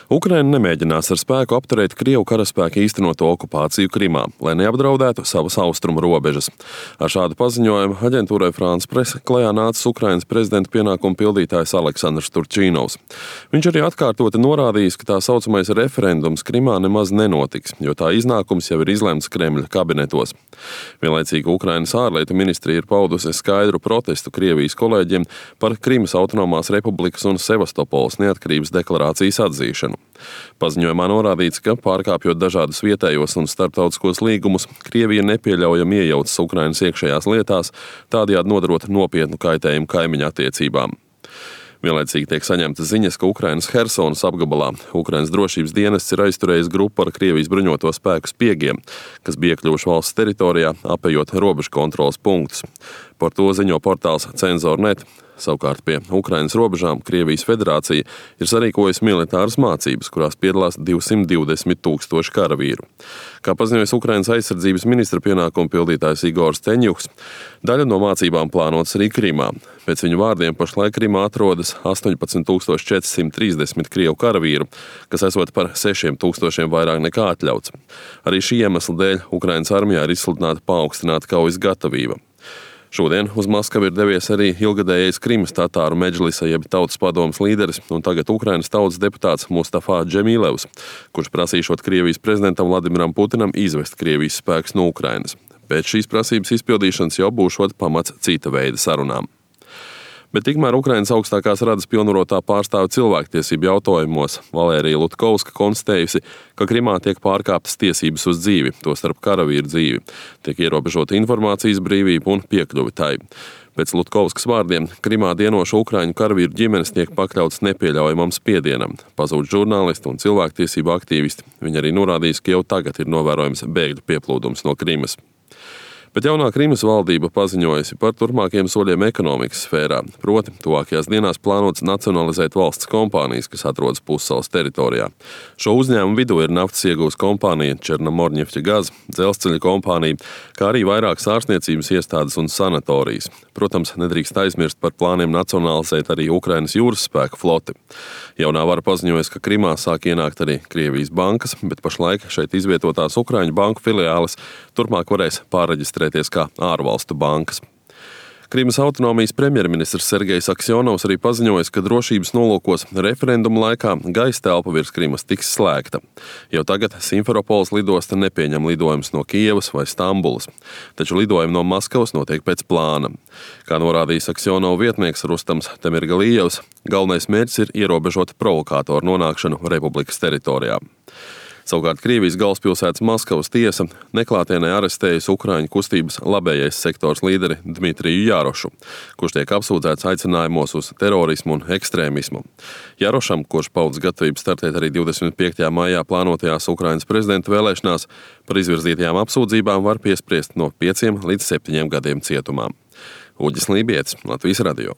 Ukraina nemēģinās ar spēku apturēt Krievu karaspēka īstenoto okupāciju Krimā, lai neapdraudētu savas austrumu robežas. Ar šādu paziņojumu aģentūrai France Presse klajā nācis Ukrainas prezidenta pienākumu pildītājs Aleksandrs Turčīnovs. Viņš arī atkārtoti norādījis, ka tā saucamais referendums Krimā nemaz nenotiks, jo tā iznākums jau ir izlemts Kremļa kabinetos. Vienlaicīgi Ukrainas ārlietu ministrija ir paudusi skaidru protestu Krievijas kolēģiem par Krimas autonomās republikas un Sevastopoles neatkarības deklarācijas atzīšanu. Paziņojumā norādīts, ka pārkāpjot dažādus vietējos un starptautiskos līgumus, Krievija nepieļaujami iejaucas Ukrainas iekšējās lietās, tādējādi nodarot nopietnu kaitējumu kaimiņu attiecībām. Vienlaicīgi tiek saņemtas ziņas, ka Ukrainas Hersonas apgabalā Ukrainas drošības dienests ir aizturējis grupu ar Krievijas bruņoto spēku spiegiem, kas bija iekļuvuši valsts teritorijā, apejot robežu kontroles punktus. Par to ziņo portāls Cenzor.net. Savukārt pie Ukrainas robežām Krievijas federācija ir sarīkojusi militāras mācības, kurās piedalās 220 000 karavīru. Kā paziņojas Ukrainas aizsardzības ministra pienākumu pildītājs Igors Teņjuks, daļa no mācībām plānotas arī Krimā. Pēc viņu vārdiem pašlaik Krimā atrodas 18 430 Krievu karavīru, kas esot par 6 000 vairāk nekā atļauts. Arī šī iemesla dēļ Ukrainas armijā ir izsludināta paaugstināta kaujas gatavība. Šodien uz Maskavu ir devies arī ilgadējais Krimas tatāru medžlisa jeb tautas padomes līderis un tagad Ukrainas tautas deputāts Mustafa Džemilevs, kurš prasīšot Krievijas prezidentam Vladimiram Putinam izvest Krievijas spēkus no Ukrainas. Pēc šīs prasības izpildīšanas jau būšot pamats cita veida sarunām. Bet tikmēr Ukrainas augstākās radas pilnvarotā pārstāve cilvēktiesību jautājumos Valērija Lutkovska konstatējusi, ka Krimā tiek pārkāptas tiesības uz dzīvi, tostarp karavīru dzīvi, tiek ierobežota informācijas brīvība un piekļuve tai. Pēc Lutkovskas vārdiem, Krimā dienošu ukraiņu karavīru ģimenes tiek pakļautas nepieļaujamam spiedienam, pazūd žurnālisti un cilvēktiesību aktīvisti. Viņi arī norādījis, ka jau tagad ir novērojams bēgļu pieplūdums no Krimas. Bet jaunā Krimas valdība paziņojusi par turpmākiem soļiem ekonomikas sfērā, proti tuvākajās dienās plānots nacionalizēt valsts kompānijas, kas atrodas pussalas teritorijā. Šo uzņēmumu vidū ir naftas iegūs kompānija Černomorņeftjagaz, dzelzceļa kompānija, kā arī vairākas ārstniecības iestādes un sanatorijas. Protams, nedrīkst aizmirst par plāniem nacionalizēt arī Ukrainas jūras spēku floti. Jaunā vara paziņojas, ka Krimā sāk ienākt arī Krievijas bankas, bet pašlaik šeit izvietotās Ukraiņu banku filiāles turpmāk varēs pārreģistrēties kā ārvalstu bankas. Krimas autonomijas premjerministrs Sergejs Aksjonovs arī paziņojas, ka drošības nolūkos referenduma laikā gaisa telpa virs Krimas tiks slēgta. Jau tagad Simferopoles lidosta nepieņem lidojumus no Kijevas vai Stambulas, taču lidojumi no Maskavas notiek pēc plāna. Kā norādījis Aksjonova vietnieks Rustams Temirgalijevs, galvenais mērķis ir ierobežot provokātoru nonākšanu republikas teritorijā. Savukārt Krievijas galvaspilsētas Maskavas tiesa neklātienē arestējusi Ukraiņu kustības labējais sektors līderi Dmitriju Jarošu, kurš tiek apsūdzēts aicinājumos uz terorismu un ekstrēmismu. Jarošam, kurš paudzes gatavību startēt arī 25. maijā plānotajās Ukrainas prezidenta vēlēšanās, par izvirzītajām apsūdzībām var piespriest no 5 līdz 7 gadiem cietumā. Uģis Lībietis, Latvijas radio.